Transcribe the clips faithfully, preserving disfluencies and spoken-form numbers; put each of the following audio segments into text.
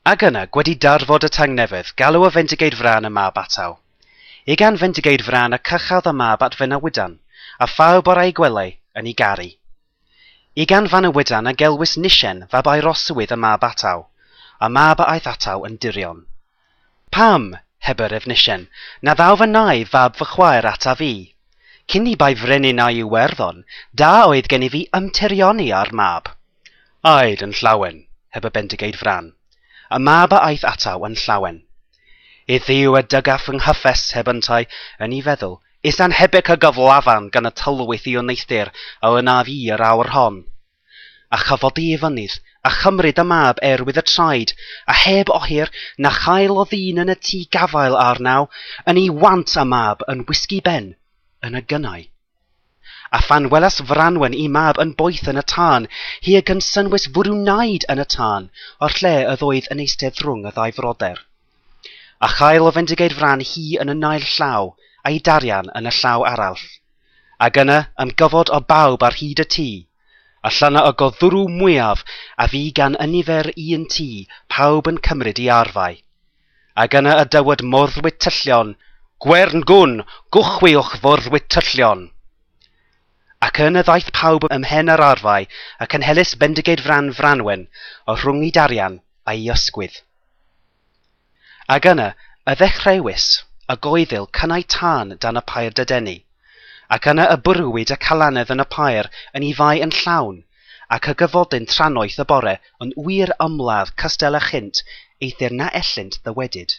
Ac yna, gwedi darfod y tangnefedd, galw y Fendigaid Frân y mab ataw. Ugain Fendigaid Frân y cychaf y mab at Fanawydan, a phawb o'r a'i gwelai yn ei garu. Ugain Fanawydan a gelwys Nisien fab Aeroswydd y mab ataw, a mab a aeth ataw yn dirion. Pam, hebyr Efnisien, na ddaw fy nai fab fy chwaer ataf i? Cyn i bai frenin a'i Iwerddon, da oedd gennyf fi ymtirioni â'r mab. Aed yn llawen, heb y Bendigaid Frân. Y mab a aeth ataw yn llawen. Iddiw y dygaf yng nghyffes heb yntau, yn ei feddwl, is anhebyg y gyflafan gan y tylwyth i wneuthur a wnaf i yr awr hon. A chyfodi i fynydd, a chymryd y mab erwydd y traed, a heb ohir na chael o ddyn yn y tŷ gafael arnaw, yn ei want y mab yn wisgi ben, yn y gynnau. A phan welas Franwen i mab yn boeth yn y tân, hi a gynsynwys fwrw naid yn y tân, o'r lle ydd oedd yn eistedd rhwng y ddau froder. A chael o Fendigaid Fran hi yn y naill llaw, a'i darian yn y llaw arall. Ac yna ymgyfod o bawb ar hyd y tŷ, a llyna y goddwrw mwyaf a fi gan ynifer un tŷ, pawb yn cymryd i arfau. Ac yna y dywed morddwyd tyllion, Gwern gwn, gwchwiwch forddwyd tyllion. Ac yn y ddaeth pawb ymhen yr arfau, a cynhelys Bendigaid Fran Franwen, o rhwng i darian a'i ysgwydd. Ac yna y ddechreuwys y goeddil cynnau tân dan y pair dydenu, ac yna y bwrwyd y calanedd yn y pair yn ei fai yn llawn, ac y gyfodyn trannoeth y bore yn wir ymladd cystel a chynt, eithr na ellint ddywedyd.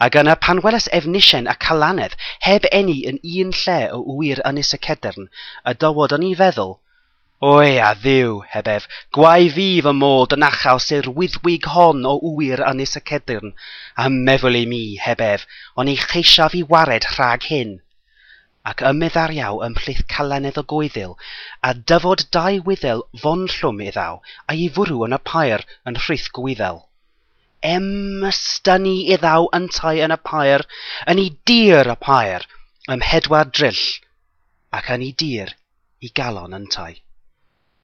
Ac yna pan weles Efnisien a Calanedd heb eni yn un lle o ŵyr Ynys y Cedyrn, y dywod yn ei feddwl, Oe a Dduw, heb ef, gwae fi fy mod yn achaws i'r wyddwig hon o ŵyr Ynys y Cedyrn, a meddwl i mi, heb ef, ond ei cheisiaf i wared rhag hyn. Ac ymmeddariaw ymhlith Calanedd y goeddil, a dyfod dau wyddel fonllwm iddaw, a'i fwrw yn y pair yn rhith gwyddel. Ymystynu iddaw yntau yn y pair, yn ei dir y pair, ym mhedwar dryll, ac yn ei dir i galon yntau.